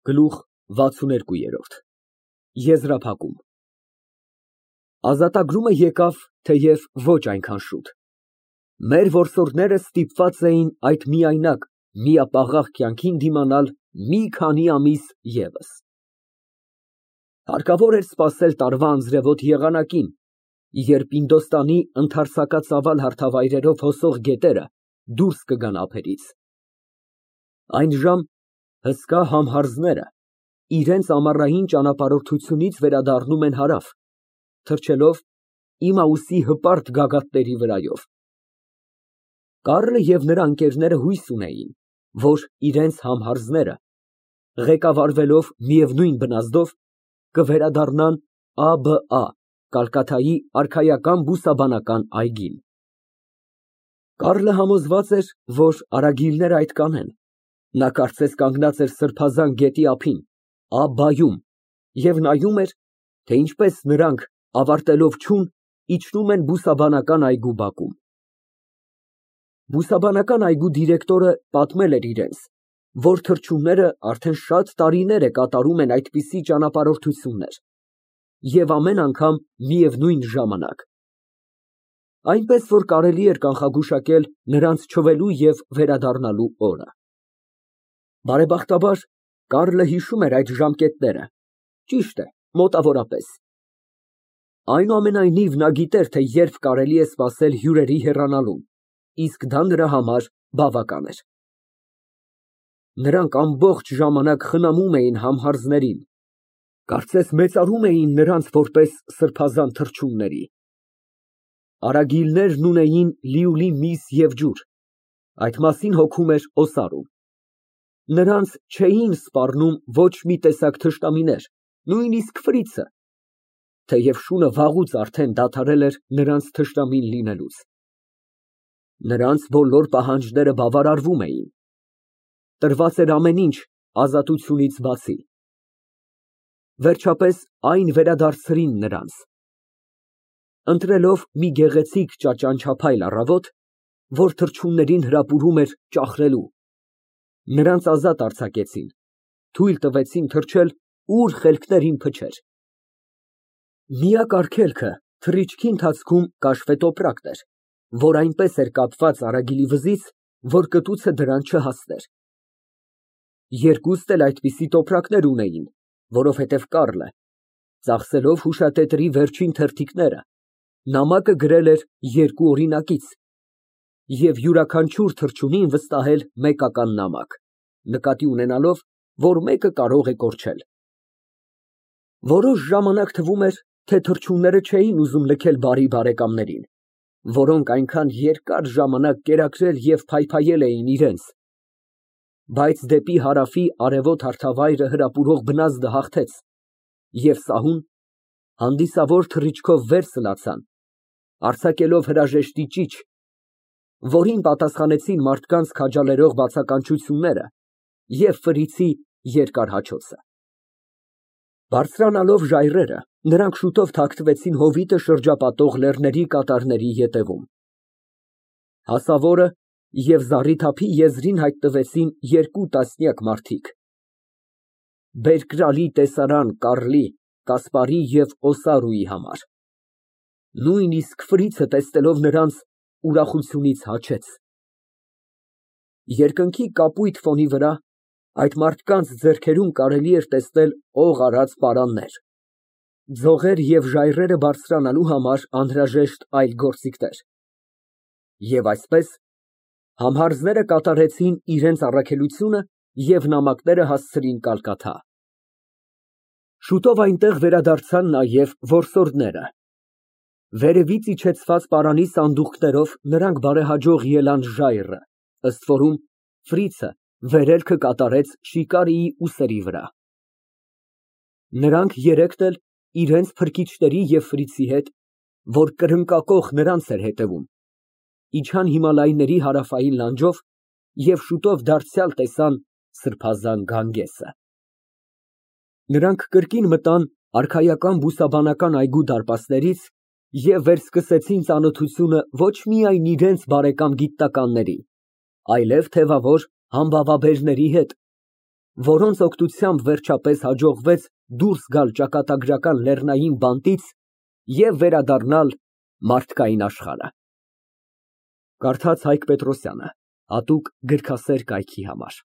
Գլուխ 62 Եզրափակում Ազատագրումը եկավ, թեև ոչ այնքան շուտ։ Մեր որսորդները ստիպված էին այդ միայնակ, միապաղաղ կյանքին դիմանալ մի քանի ամիս ևս։ Հարկավոր էր սպասել տարվա անձրևոտ եղանակին, երբ Ինդոստանի ընդարձակածավալ հարթավայրերով հոսող գետերը դուրս կգան ափերից։ Այն ժամ հսկա համհարձները իրենց ամառային ճանապարհորդությունից վերադառնում են հարավ, թռչելով Իմաուսի հպարտ գագաթների վրայով։ Կառլը և նրա ընկերները հույս ունեին, որ իրենց համհարձները, ղեկավարվելով միևնույն բնազդով, կվերադառնան ԱԲԱ Կալկաթայի արքայական բուսաբանական այգին։ Կառլը համոզված էր, որ արագիլները այդ կանեն։ Նա կարծես կանգնած էր սրբազան գետի ափին, ԱԲԲԱ-ում, և նայում էր, թե ինչպես նրանք, ավարտելով չուն, իջնում են բուսաբանական այգու բակում։ Բուսաբանական այգու դիրեկտորը պատմել էր իրենց, որ թռչունները արդեն շատ տարիներ է կատարում են այդպիսի ճանապարհորդություններ և ամեն անգամ միևնույն ժամանակ, այնպես որ կարելի էր կանխագուշակել նրանց չվելու և վերադառնալու օրը։ Բարեբախտաբար, Կառլը հիշում էր այդ ժամկետները, ճիշտ է, մոտավորապես։ Այնուամենայնիվ, նա գիտեր, թե երբ կարելի է սպասել հյուրերի հեռանալուն, իսկ դա նրա համար բավական էր։ Նրանք ամբողջ ժամանակ խնամում էին համհարձներին, կարծես մեծարում էին նրանց որպես սրբազան թռչունների։ Արագիլներն ունեին լիուլի միս և ջուր, այդ մասին հոգում էր Օսարուն։ Նրանց չէին սպառնում ոչ մի տեսակ թշնամիներ, նույնիսկ ֆրիցը, թեև շունը վաղուց արդեն դադարել էր նրանց թշնամին լինելուց։ Նրանց բոլոր պահանջները բավարարվում էին։ Տրված էր ամեն ինչ ազատությունից բացի։ Վերջապես այն վերադարձրին նրանց։ Ընտրելով մի գեղեցիկ ճաճանչափայլ առավոտ, որ թռչուններին հրապուրում էր ճախրելու, նրանց ազատ արձակեցին, թույլ տվեցին թռչել, ուր խելքներին փչեր։ Միակ արգելքը թռիչքի ընթացքում կաշվետոպրակն էր, որ այնպես էր կապված արագիլի վզից, որ կտուցը դրան չհասներ։ Երկուստ էլ այդպիսի տոպրակներ ունեին, որովհետև Կառլը, ծախսելով հուշատետրի վերջին թերթիկները, նամակը գրել էր երկու օրինակից և յուրաքանչյուր թռչունին վստահել մեկական նամակ, նկատի ունենալով, որ մեկը կարող է կորչել։ Որոշ ժամանակ թվում էր, թե թռչունները չէին ուզում լքել բարի բարեկամներին, որոնք այնքան երկար ժամանակ կերակրել և փայփայել էին իրենց, բայց դեպի հարավի արևոտ հարթավայրը հրապուրող բնազդը հաղթեց, և սահուն, հանդիսավոր թռիչքով վեր սլացան, արձակելով հրաժեշտի ճիչ, որին պատասխանեցին մարդկանց քաջալերող բացականչությունները և ֆրիցի երկար հաչոցը։ Բարձրանալով ժայռերը, նրանք շուտով թաքնվեցին հովիտը շրջապատող լեռների կատարների ետևում։ Հասավորը և զառիթափի եզրին հայտնվեցին երկու տասնյակ մարդիկ։ Բերկրալի տեսարան Կառլի, Կասպարի և Օսարուի համար։ Նույնիսկ ֆրիցը, տեսնելով նրանց, ուրախությունից հաչեց։ Երկնքի կապույտ ֆոնի վրա այդ մարդկանց ձեռքերում կարելի էր տեսնել օղ արած պարաններ, ձողեր և ժայռերը բարձրանալու համար անհրաժեշտ այլ գործիքներ։ Եվ այսպես, համհարձները կատարեցին իրենց առաքելությունը և նամակները հասցրին Կալկաթա։ Շուտով այնտեղ վերադարձան նաև որսորդները։ Վերևից իջեցված պարանի սանդուղքներով նրանք բարեհաջող ելան ժայռը, ըստ որում ֆրիցը վերելքը կատարեց շիկարիի ուսերի վրա։ Նրանք երեքն էլ իրենց փրկիչների և ֆրիցի հետ, որ կրկնակոխ նրանց էր հետևում, իջան Հիմալայների հարավային լանջով և շուտով դարձյալ տեսան սրբազան Գանգեսը։ Նրանք կրկին մտան արքայական բուսաբանական այգու դարպասներից և վերսկսեցին ծանոթությունը ոչ միայն իրենց բարեկամ գիտնականների, այլև թևավոր համբավաբերների հետ, որոնց օգնությամբ վերջապես հաջողվեց դուրս գալ ճակատագրական լեռնային բանտից և վերադառնալ մարդկային աշխարհը։ Կարդաց Հայկ Պետրոսյանը, Հատուկ գրքասեր կայքի համար։